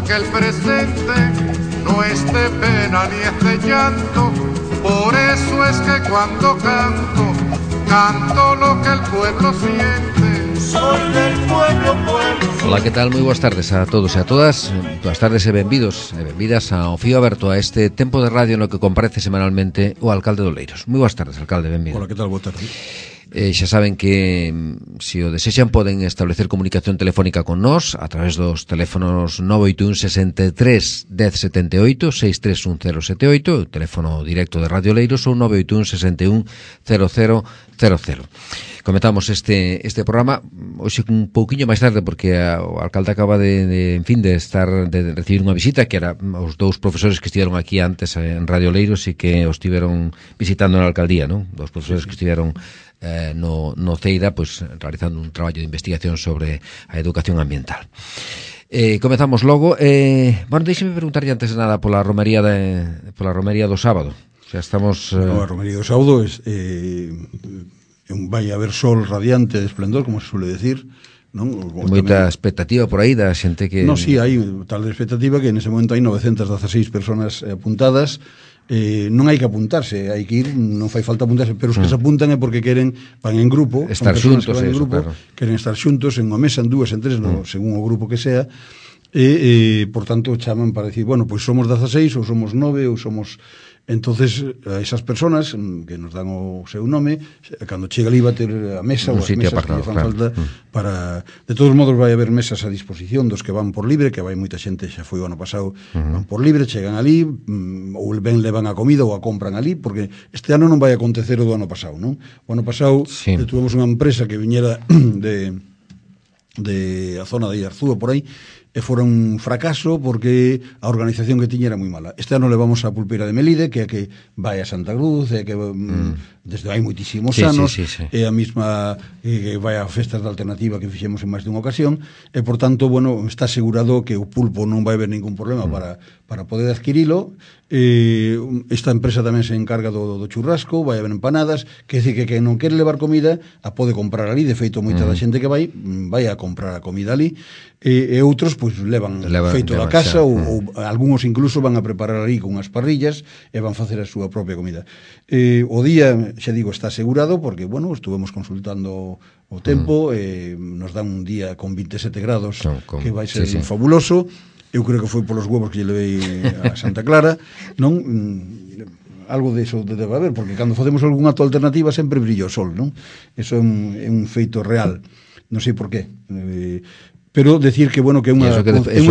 porque el presente no es de pena ni es de llanto. Por eso es que cuando canto, canto lo que el pueblo siente. Soy del pueblo, pueblo. Ola, que tal? Moi boas tardes a todos e a todas. Boas tardes e benvidos e benvidas ao Fío Aberto, a este tempo de radio no que comparece semanalmente o alcalde de Oleiros. Moi boas tardes, alcalde, benvido. Ola, que tal? Boa tarde. Xa saben que se o desexan poden establecer comunicación telefónica con nós a través dos teléfonos 981 63 1078 6310078, o teléfono directo de Radio Oleiros, ou 981 61 0000. Comentamos este programa hoxe un pouquiño máis tarde porque o alcalde acaba de recibir unha visita, que era os dous profesores que estiveron aquí antes en Radio Oleiros e que os estiveron visitando na alcaldía, non? Dos profesores que estiveron no CEIDA, pues, realizando un traballo de investigación sobre a educación ambiental. Comezamos logo. Bueno, deixeme preguntarlle antes de nada pola romería do sábado. O sea, estamos... A romería do sábado vai haber sol radiante de esplendor, como se suele decir, non? Moita expectativa por aí da xente que... Non, si, hai tal expectativa que nese momento hai 916 personas apuntadas. Non hai que apuntarse, hai que ir, non fai falta apuntarse, pero os que se apuntan é porque queren, van en grupo, estar xuntos, claro. Queren estar xuntos en unha mesa, en dúas, en tres, según o grupo que sea, e por tanto chaman para decir, bueno, pois somos 16 ou somos 9 ou somos... Entonces, a esas personas que nos dan o seu nome, cando chega ali va ter a mesa ou as mesas apartado, que fan falta para... De todos modos vai haber mesas a disposición dos que van por libre, que vai moita xente, xa foi o ano pasado, van por libre, chegan ali, ou ben levan a comida ou a compran ali, porque este ano non vai acontecer o do ano pasado, non? O ano pasado tuvemos unha empresa que viñera de a zona de Iarzúa por aí, e fora un fracaso porque a organización que tiña era moi mala. Este ano levamos a Pulpeira de Melide, que é que vai a Santa Cruz, é que desde hai moitísimos anos, é a mesma que vai a festas de alternativa que fixemos en máis dunha ocasión, e por tanto, bueno, está asegurado que o pulpo non vai haber ningún problema para poder adquirilo. Esta empresa tamén se encarga do churrasco, vai haber empanadas, que dice que non quere levar comida a pode comprar ali, de feito moita da xente que vai a comprar a comida ali, e outros pois levan feito da casa ou algúns incluso van a preparar ali con unhas parrillas e van facer a súa propia comida. O día, xa digo, está asegurado porque, bueno, estuvemos consultando o tempo, nos dan un día con 27 grados que vai ser fabuloso. Eu creo que foi polos huevos que lle levei a Santa Clara, non? Algo de eso debe haber, porque cando facemos algún acto alternativa sempre brilla o sol, non? Eso é un feito real, non sei por qué. Pero decir que, bueno, que é unha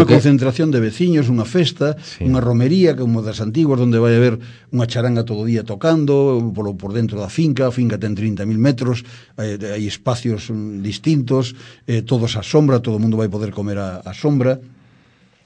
concentración de veciños, unha festa, unha romería, como das antiguas, onde vai haber unha charanga todo o día tocando, por dentro da finca. A finca ten 30.000 metros, hai espacios distintos, todos a sombra, todo o mundo vai poder comer a sombra,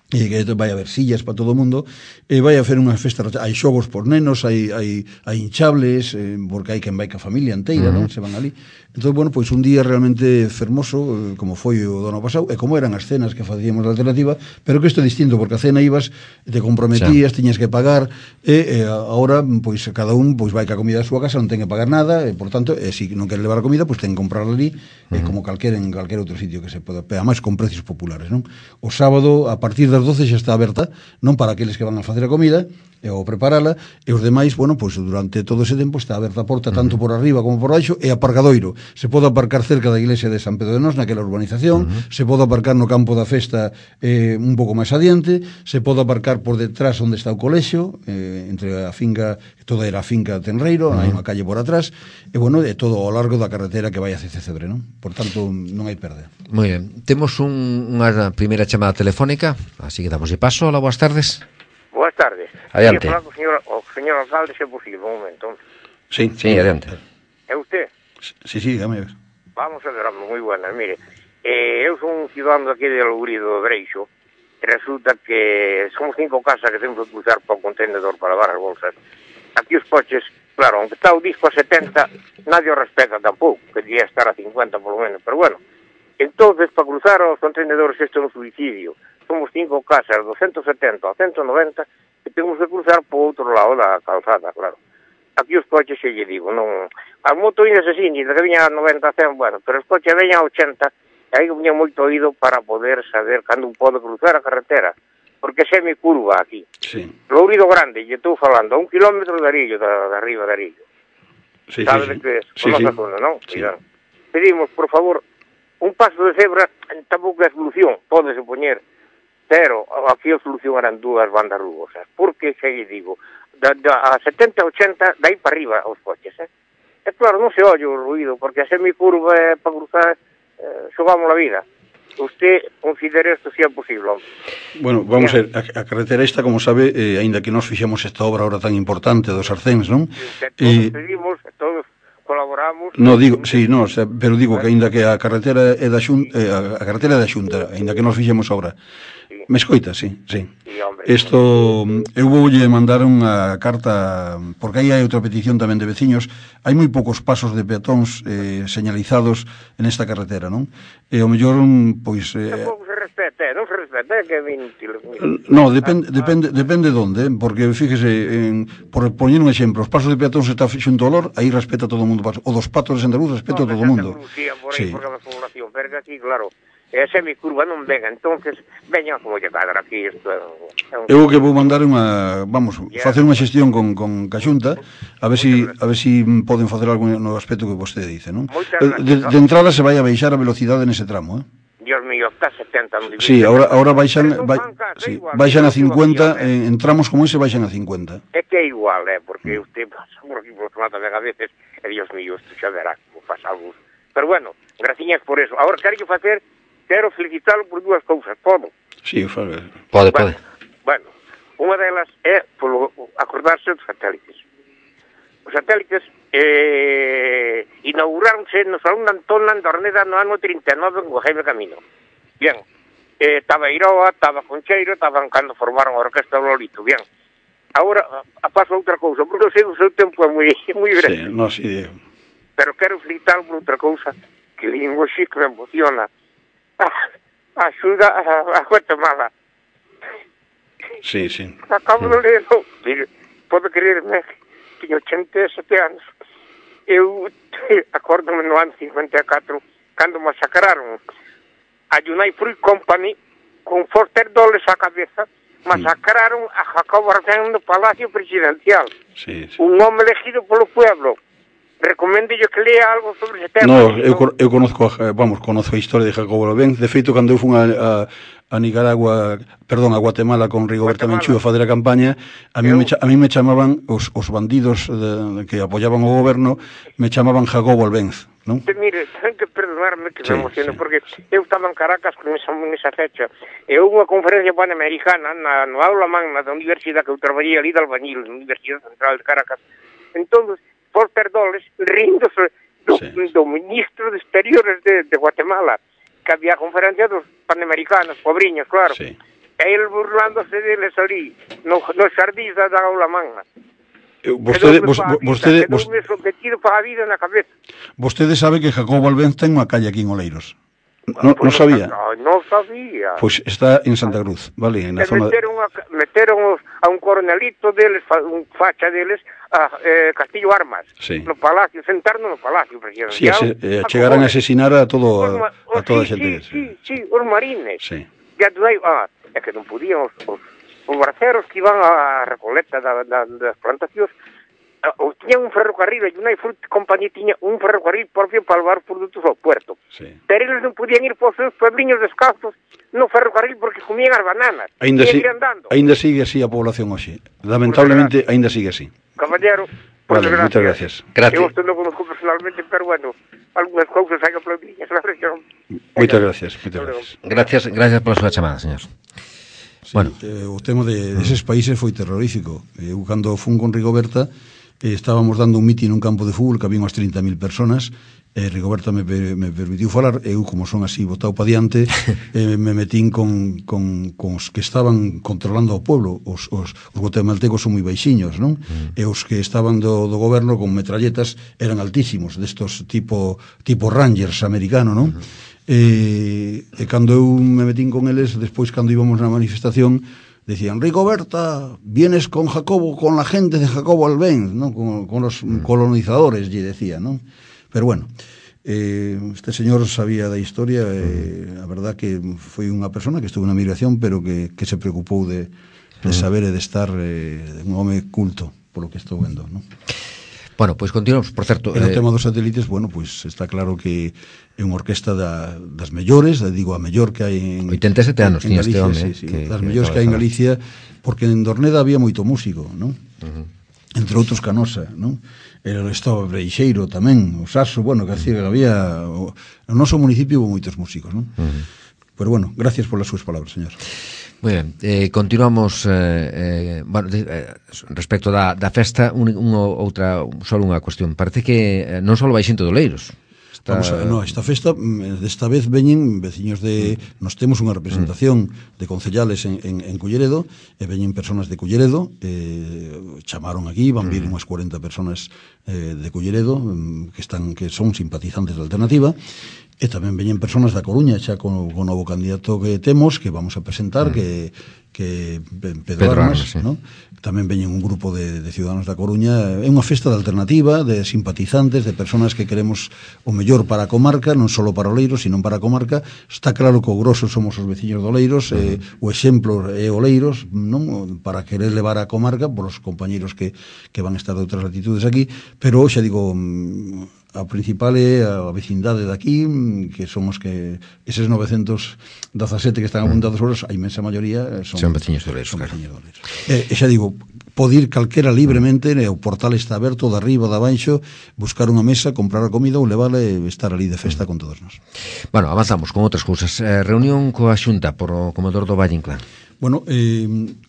e que vai haber sillas para todo o mundo, e vai hacer unha festa, hai xogos por nenos, hai hinchables, porque hai quen vai ca familia inteira, non? Se van ali. Entón, bueno, pois un día realmente fermoso, como foi o do ano pasado, e como eran as cenas que facíamos da alternativa, pero que isto é distinto, porque a cena ibas, te comprometías, tiñas que pagar, e agora, pois, cada un pois vai ca comida da súa casa, non ten que pagar nada, e, por tanto, se non quere levar a comida, pois ten que comprarla ali, como en calquer outro sitio que se poda, ademais con precios populares, non? O sábado, a partir das 12 xa está aberta, non para aqueles que van a facer a comida ou preparala, e os demais, bueno, pois durante todo ese tempo está aberta a porta tanto por arriba como por baixo, e aparcadoiro. Se pode aparcar cerca da iglesia de San Pedro de Nós, naquela urbanización, se pode aparcar no campo da festa un pouco máis adiante, se pode aparcar por detrás onde está o colexio, entre a finca, toda era a finca Tenreiro, hai unha calle por atrás, e bueno, é todo ao largo da carretera que vai a Cecebre, non? Por tanto, non hai perda. Moi ben. Temos unha primeira chamada telefónica, así que damos paso. Hola, boas tardes. Boas tardes. Adiante. Quería falar co señor alcalde, se é posible, un momento. Sí, adiante. É usted? Sí, dígame. Vamos a ver, moi buenas. Mire, eu son un cidadano aquí de Lourido do Breixo, e resulta que somos 5 casas que temos que cruzar para o contenedor para lavar as bolsas. Aquí os coches, claro, aunque está o disco a 70, nadie o respeta tampouco, que debería estar a 50 polo menos, pero bueno. Entonces, para cruzar os contenedores, isto é un suicidio. Somos 5 casas, 270 a 190, e temos que cruzar por outro lado da calzada, claro. Aquí os coches, xe lle digo, non... As motoinas así, que viñan a 90 a 100, bueno, pero os coches veñan a 80, e aí viña moito oído para poder saber cando un pode cruzar a carretera. porque é semicurva aquí. Sí. Lourido Grande, lle estou falando, a 1 kilómetro de Arillo, de arriba de Arillo. Sí, Sabe sí, de que é? sí, Conoce sí. a zona, non? Sí. Cuidado. Pedimos, por favor, un paso de cebra, tampouco é solución, pódese poñer, pero aquí a solución eran 2 bandas rugosas. Porque, xa lle digo, a 70, 80, dai para arriba os coches, E claro, non se oye o ruido, porque a semicurva é para cruzar, xogamos a vida. Usted considera isto se é posible, hombre. Bueno, vamos a ver, a carretera esta, como sabe, aínda que nos fixemos esta obra ahora tan importante dos Arcéns, non? Todos pedimos, todos colaboramos. No, digo, sí, no, o sea, pero digo que aínda que a carretera é da Xunta, a carretera é da Xunta, aínda que nos fixemos obra. Sí. Me escoita, sí, sí. Sí, hombre. Isto, eu voulle mandar unha carta, porque aí hai outra petición tamén de veciños. Hai moi poucos pasos de peatóns señalizados en esta carretera, non? E o mellor, pois... Tampouco se respeta, non se respeta, é que é inútil. No, depende donde, porque fíjese, por poñer un exemplo, os pasos de peatóns está xunto ao Lor, aí respeta todo o mundo paso. O dos patos de Santa Cruz respeta todo o mundo. Por Sí. aí, porque a población, pero que aquí, claro, é semicurva non venga, entonces veña como lle cadra aquí, isto é un... Eu que vou mandar facer unha xestión con Caxunta, a ver si poden facer algo no aspecto que vostede dice, non? De entrada se vai a baixar a velocidade nese tramo, Dios mío, está 70 non divide. Sí, ahora baixan a 50, en tramos como ese baixan a 50. É que é igual, porque usted pasa por aquí por outro lado tamén a veces, e Dios mío, isto xa verá como pasa algo. Pero bueno, graciñas por eso. Ahora quero felicitalo por 2 cousas, podo? Sí, fale. Pode. Bueno, unha delas é polo acordarse dos satélites. Os satélites inauguráronse no Salón de Antón Landorneda no ano 39 en Jaime Camino. Bien, estaba Iroa, estaba Concheiro, estaban cando formaron a Orquesta do Lolito, bien. Agora pasa outra cousa, porque eu sei que o seu tempo é moi grande. Sí, no, sí, Diego. Pero quero felicitar por outra cousa que língua que me emociona. Axuda a Guatemala. Sí. Acabo de lerlo. Mire, pode creerme, tiño 87 anos. Eu acórdome no ano 54, cando masacraron a United Fruit Company con Foster Dulles á cabeza, masacraron a Jacobo Arbenz no Palacio Presidencial. Sí. Un home elegido polo pueblo. Recomendo que lea algo sobre ese tema. No, eu conozco a historia de Jacobo Arbenz. De feito, cando eu fun a Nicaragua, perdón, a Guatemala con Rigoberta Menchú a fazer a campaña, a mí me chamaban os bandidos que apoyaban o goberno, me chamaban Jacobo Arbenz, non? Mire, ten que perdonarme que me emociono, porque eu estaba en Caracas con esa fecha, e houve unha conferencia panamericana no aula magna da universidade que eu traballei ali de albañil, na Universidade Central de Caracas. Entón, Foster Dulles, ríndose do ministro de Exteriores de Guatemala, que había conferencia dos panamericanos, pobriños, claro. Sí. E ele burlándose deles ali, nos xardís da aula magna. Vostede sabe que Jacobo Arbenz ten unha calle aquí en Oleiros. Non sabía? Non sabía. Pois está en Santa Cruz, vale, na zona meteron a un coronelito deles, un facha deles, a Castillo Armas, no palacio, sentarnos no palacio presidencial. Sí, chegaran a asesinar a toda a xente. Sí, os marines. Sí. É que non podían os barceros que iban a recoleta das plantacións, tiñan un ferrocarril, e United Fruit Company tiña un ferrocarril propio para levar produtos ao puerto. Sí. Pero eles non podían ir por seus puebliños descalzos no ferrocarril porque comían as bananas. Ainda sigue así a población hoxe. Lamentablemente, ainda sigue así. Caballero, vale, moitas gracias. Eu non conozco personalmente, pero bueno, algunhas cousas hai que aplaudirlas. Moitas gracias. Gracias pola súa chamada, señor. Sí, bueno. O tema deses países foi terrorífico. Eu, cando fun con Rigoberta, estábamos dando un mitin nun campo de fútbol que había unhas 30.000 personas, Rigoberta me permitiu falar, eu, como son así botado pa diante, me metín con os que estaban controlando o pueblo. Os guatemaltecos son moi baixiños, non? E os que estaban do goberno con metralletas eran altísimos, destos tipo Rangers americano, non? E cando eu me metín con eles, despois cando íbamos na manifestación, decían: Rigoberta, vienes con Jacobo, con la gente de Jacobo Arbenz, ¿no? Con los colonizadores, lle decía, ¿no? Pero bueno, Este señor sabía da historia, a verdad que foi unha persona que estuvo na migración, pero que se preocupou de saber e de estar un home culto, polo que estou vendo, non? Bueno, pois continuamos, por certo. E no tema dos satélites, bueno, pois está claro que é unha orquesta das mellores, digo, a mellor que hai en 87 anos tiña este home, das mellores que hai en Galicia, porque en Dorneda había moito músico, non? Entre outros Canosa, non? Estaba Breixeiro tamén, o Saso, bueno, que había no noso municipio hubo moitos músicos, non? Pero bueno, gracias polas súas palabras, señor. Moi ben, continuamos respecto da festa, só unha cuestión. Parece que non só vai xente do Oleiros. Esta festa, desta vez veñen veciños nos temos unha representación de concellales en Culleredo, e veñen personas de Culleredo, chamaron aquí, van vir unhas 40 personas de Culleredo que son simpatizantes da alternativa. E tamén veñen personas da Coruña, xa con o novo candidato que temos, que vamos a presentar, que Pedro Armas, sí. ¿No? Tamén veñen un grupo de ciudadanos da Coruña. É unha festa de alternativa, de simpatizantes, de personas que queremos o mellor para a comarca, non só para Oleiros, sino para a comarca. Está claro que o grosso somos os veciños de Oleiros, o exemplo é Oleiros, non? Para querer levar a comarca por os compañeiros que van a estar de outras latitudes aquí, pero xa digo, a principal é a vecindade daqui, que son os que eses 917 que están apuntados horas, a inmensa maioría son veciños de Oleiros, claro. E xa digo, pode ir calquera libremente, o portal está aberto de arriba, de abaixo, buscar unha mesa, comprar a comida ou levarla e estar ali de festa con todos nós. Bueno, avanzamos con outras cousas. Reunión coa Xunta por o comedor do Valle Inclán. Bueno,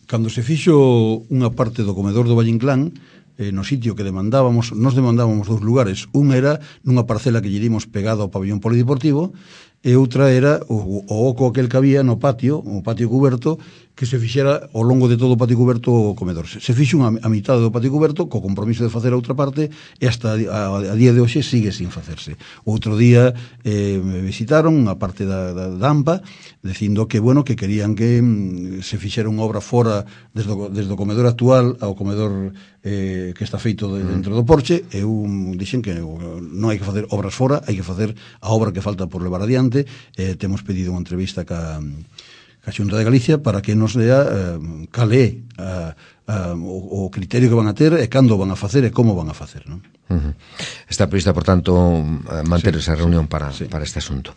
cando se fixo unha parte do comedor do Valle Inclán, no sitio que demandábamos, nos demandábamos dous lugares. Un era nunha parcela que lle dimos pegado ao pabellón polideportivo, e outra era o oco aquel que había no patio, o patio cuberto, que se fixera ao longo de todo o patio cuberto o comedor. Se fixo a mitad do patio cuberto, co compromiso de facer a outra parte, e hasta a día de hoxe sigue sin facerse. Outro día me visitaron a parte da AMPA, dicindo que, bueno, que querían que se fixera unha obra fora desde o comedor actual ao comedor que está feito dentro do porche. Eu dixen que non hai que facer obras fora, hai que facer a obra que falta por levar adiante. Temos pedido unha entrevista ca Xunta de Galicia para que nos dea cal é o criterio que van a ter e cando van a facer e como van a facer, non? Está prevista, por tanto, manter esa reunión para este asunto.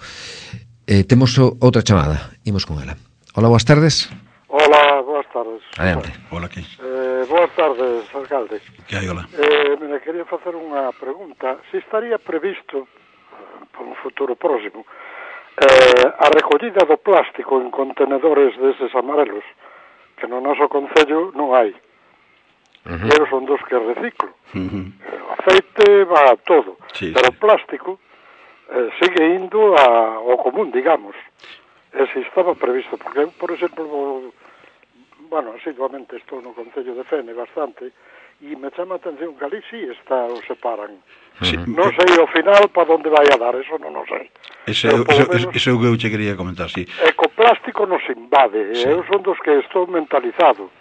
Temos outra chamada, imos con ela. Hola, boas tardes. Hola, boas tardes. Adiante. Hola, que? Boas tardes, alcalde. Que hai, hola? Me quería facer unha pregunta. Se estaría previsto, por un futuro próximo, a recollida do plástico en contenedores deses amarelos, que no noso concello non hai. Eu son dos que reciclo. O aceite va a todo, pero o plástico sigue indo ao común, digamos. E se estaba previsto, porque eu, por exemplo, asiduamente estou no concello de Fene bastante, e me chama a atención que ali sí o separan. Non sei ao final para onde vai a dar, eso non o sei. Eso é o que eu che quería comentar, sí. E co plástico nos invade, eu son dos que estou mentalizado,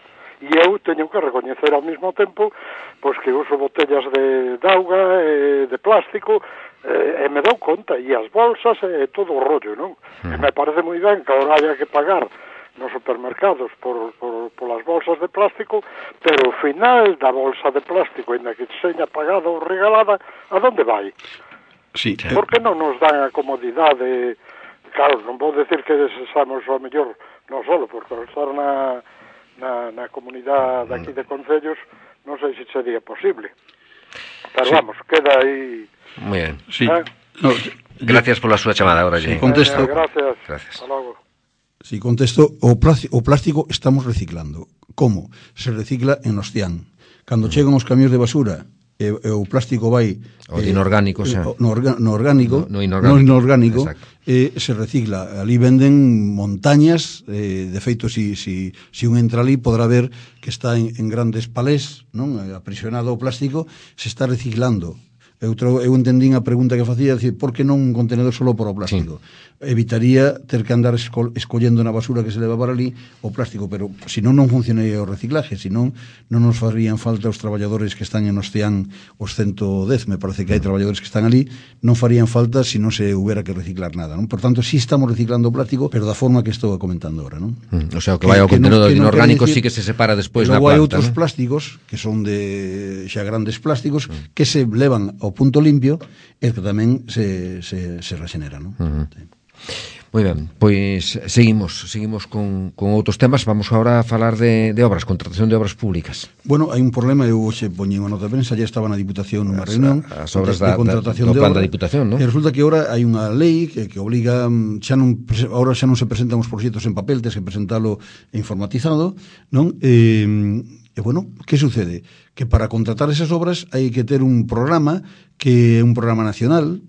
e eu teño que recoñecer ao mesmo tempo pois que uso botellas de auga, de plástico, e me dou conta, e as bolsas e todo o rollo, non? E me parece moi ben que ahora haya que pagar nos supermercados polas bolsas de plástico, pero o final da bolsa de plástico, ainda que seña pagada ou regalada, a donde vai? Sí. Por que non nos dan a comodidade? Claro, non vou decir que desexamos o mellor, non solo, porque ao estar na comunidade aquí de concellos, non sei se sería posible. Pero vamos, queda aí... Muy bien. Sí. Gracias pola súa chamada, ahora lle. Contesto. Gracias. Gracias. Hasta logo. Si contesto, o plástico estamos reciclando. Como? Se recicla en Ostián. Cando chegan os camións de basura e o plástico vai o inorgánico, no inorgánico, se recicla. Ali venden montañas, de feito, si un entra ali podrá ver que está en grandes palés, non? Aprisionado o plástico, se está reciclando. Eu entendín a pregunta que facía, decir, por que non un contenedor solo para o plástico? Evitaría ter que andar escollendo na basura que se leva para ali o plástico, pero senón non funcionaría o reciclaje, senón non nos farían falta os traballadores que están en Oceán, os 110, me parece que hai traballadores que están ali, non farían falta se non se houbera que reciclar nada, non? Por tanto, sí estamos reciclando o plástico, pero da forma que estou comentando agora, non? O sea, o que vai ao contenedor inorgánico sí que se separa despois na planta. Logo hai outros plásticos que son de xa grandes plásticos que se levan ao punto limpio e que tamén se regenera, non? Moi ben, pois seguimos con outros temas. Vamos agora a falar de obras, contratación de obras públicas. Bueno, hai un problema, eu hoxe poñín unha nota de prensa, ya estaba na Diputación nunha reunión as obras de contratación do de plan da obra, Diputación, non? E resulta que agora hai unha lei que obliga, agora xa non se presentan os proxectos en papel, tes que presentalo informatizado, non? E bueno, que sucede? Que para contratar esas obras hai que ter un programa que é un programa nacional, non?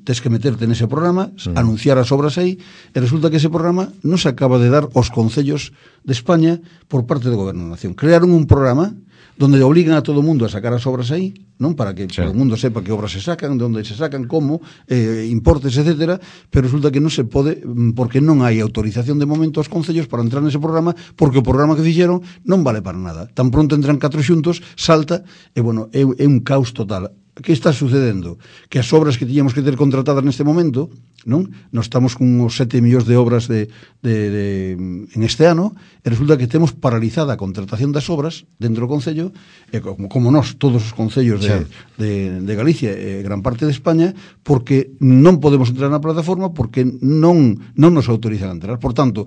Tes que meterte nese programa, anunciar as obras aí, e resulta que ese programa non se acaba de dar aos concellos de España por parte do Goberno da Nación. Crearon un programa donde obligan a todo o mundo a sacar as obras aí, non? Para que todo o mundo sepa que obras se sacan, de onde se sacan, como, importes, etcétera, pero resulta que non se pode, porque non hai autorización de momento aos concellos para entrar nese programa, porque o programa que fixeron non vale para nada. Tan pronto entran 4 xuntos, salta, e bueno, é un caos total. Que está sucedendo? Que as obras que tiñamos que ter contratadas neste momento, non? Nos estamos con uns 7 millóns de obras en este ano, e resulta que temos paralizada a contratación das obras dentro do Concello, e como nós, todos os concellos de Galicia e gran parte de España, porque non podemos entrar na plataforma porque non nos autorizan a entrar. Por tanto,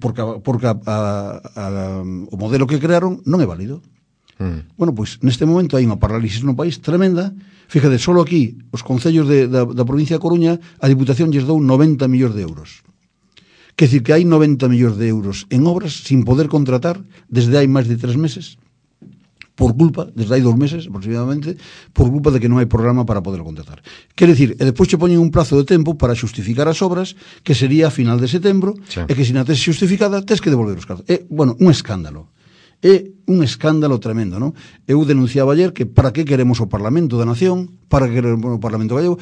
porque o modelo que crearon non é válido. Bueno, pois neste momento hai unha parálisis no país tremenda. Fíjate, solo aquí os concellos da provincia de Coruña, a Diputación lles dou 90 millóns de euros. Quer dicir que hai 90 millóns de euros en obras sin poder contratar desde hai máis de 3 meses, por culpa, desde hai 2 meses aproximadamente, por culpa de que non hai programa para poder contratar. Quer dicir, e despois che poñen un prazo de tempo para xustificar as obras, que sería a final de setembro, e que se non tes xustificada, tes que devolver os cartos. Bueno, un escándalo. É un escándalo tremendo, non? Eu denunciaba ayer que para que queremos o Parlamento da Nación, para que queremos o Parlamento gallego,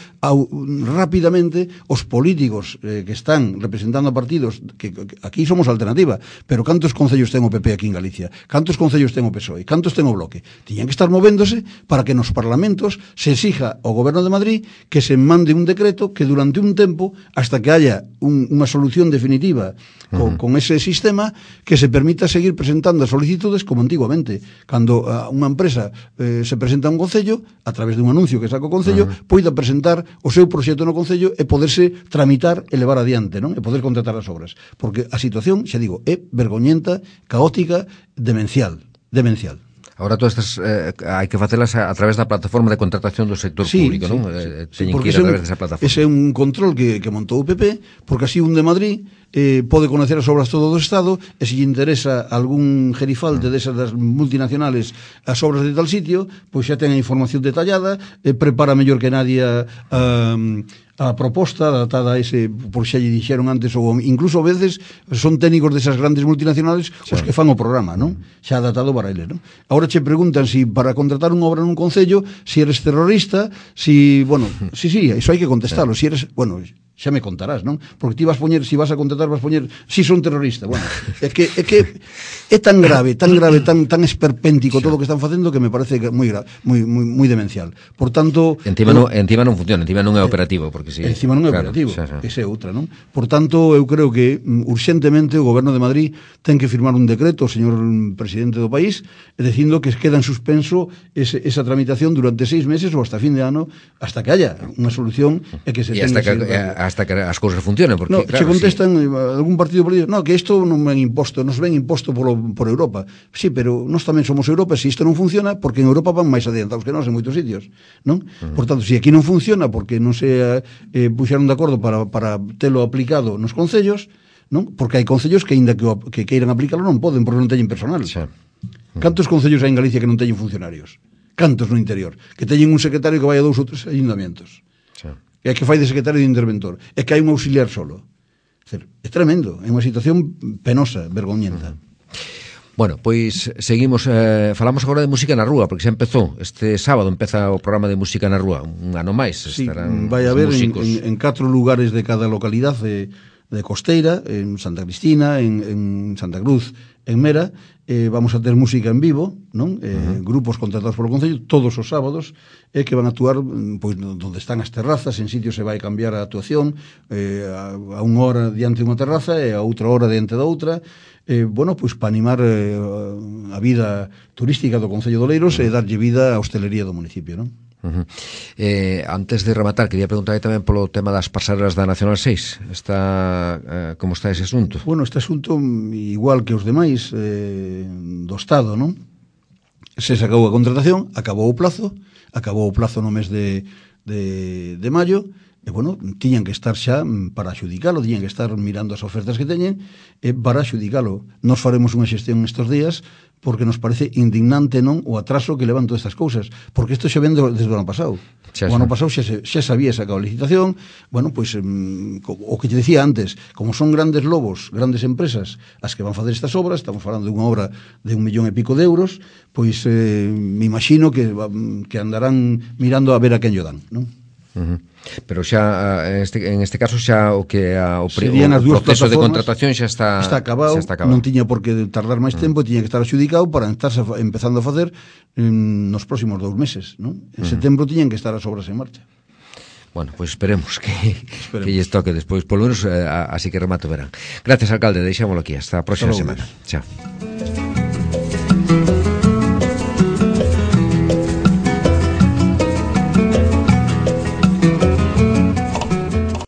rapidamente os políticos que están representando a partidos, que aquí somos alternativa, pero cantos concellos ten o PP aquí en Galicia? Cantos concellos ten o PSOE? Cantos ten o Bloque? Tiñan que estar movéndose para que nos parlamentos se exija ao Goberno de Madrid que se mande un decreto que durante un tempo, hasta que haya unha solución definitiva con ese sistema, que se permita seguir presentando as solicitudes como antiguamente, cando unha empresa se presenta a un concello, a través dun anuncio que saca o concello, poida presentar o seu proxecto no concello e poderse tramitar e levar adiante, non? E poder contratar as obras. Porque a situación, xa digo, é vergoñenta, caótica, demencial. Agora todas estas hai que facelas a través da plataforma de contratación do sector público, non? Teñen que ir a través desa plataforma. Ese é un control que montou o PP, porque así un de Madrid pode conocer as obras todo do Estado, e se lle interesa algún gerifalte desas das multinacionales as obras de tal sitio, pois xa ten a información detallada, prepara mellor que nadie a proposta adaptada a ese, por xa lle dixeron antes, ou incluso a veces son técnicos desas grandes multinacionales os que fan o programa, non? Xa adaptado para eles, non? Agora che preguntan si para contratar unha obra nun concello, si eres terrorista, si, bueno, sí, iso hai que contestarlo, si eres, bueno, xa me contarás, non? Porque ti vas poñer, si vas a contratar, vas poñer si son terrorista. Bueno, é que é tan grave, tan esperpéntico todo o que están facendo que me parece moi demencial. Por tanto, encima non funciona, encima non é operativo, porque si encima non é operativo, esa é outra, non? Por tanto, eu creo que urxentemente o Goberno de Madrid ten que firmar un decreto, o señor presidente do país, dicindo que queda en suspenso esa tramitación durante 6 meses ou hasta fin de ano, hasta que haya unha solución e que se tenga hasta que as cousas funcionen, porque no, claro, se contestan algún partido político, no, que isto non ven imposto, nos ven imposto por Europa. Sí, pero nós tamén somos Europa, se isto non funciona, porque en Europa van máis adiantados que nós en moitos sitios, non? Por tanto, se aquí non funciona porque non se puxeron de acordo para telo aplicado nos concellos, non? Porque hai concellos que aínda que queiran aplicarlo non poden, porque non teñen personal. Cantos concellos hai en Galicia que non teñen funcionarios? Cantos no interior? Que teñen un secretario que vai a 2 ou 3 ayuntamientos. É que fai de secretario de interventor, é que hai un auxiliar solo. É tremendo, é unha situación penosa, vergoñenta. Bueno, pois seguimos, falamos agora de música na rúa, porque xa empezou, este sábado empeza o programa de música na rúa, un ano máis. Sí, estarán vai haber en 4 lugares de cada localidade de Costeira, en Santa Cristina, en Santa Cruz, en Mera, vamos a ter música en vivo, non? Grupos contratados polo Concello todos os sábados, que van a actuar pois onde están as terrazas, en sitios se vai cambiar a actuación, a unha hora diante de unha terraza e a outra hora diante da outra, bueno, pois para animar a vida turística do Concello de Oleiros e darlle vida á hostelería do municipio, non? Antes de rematar, quería preguntar tamén polo tema das pasarelas da Nacional 6. Como está ese asunto? Bueno, este asunto, igual que os demais do Estado, non? Se sacou a contratación, acabou o plazo no mes de maio, e, bueno, tiñan que estar xa para axudicalo, tiñan que estar mirando as ofertas que teñen para axudicalo. Nos faremos unha xestión estes días porque nos parece indignante, non, o atraso que levan todas estas cousas, porque isto xa ven desde o ano pasado. O ano pasado xa se había sacado a licitación, bueno, pois o que te decía antes, como son grandes lobos, grandes empresas as que van facer estas obras, estamos falando de unha obra de 1,5 millón de euros, pois me imagino que andarán mirando a ver a quen lle dan, non? Pero xa en este caso xa o proceso de contratación xa está acabado, non tiña por que tardar máis tempo, tiña que estar adjudicado para estarse empezando a facer nos próximos 2 meses, non? En setembro tiñan que estar as obras en marcha. Bueno, pois esperemos que lles toque despois, polo menos así que remato verán. Gracias, alcalde, deixámoslo aquí, hasta a próxima semana. Chao.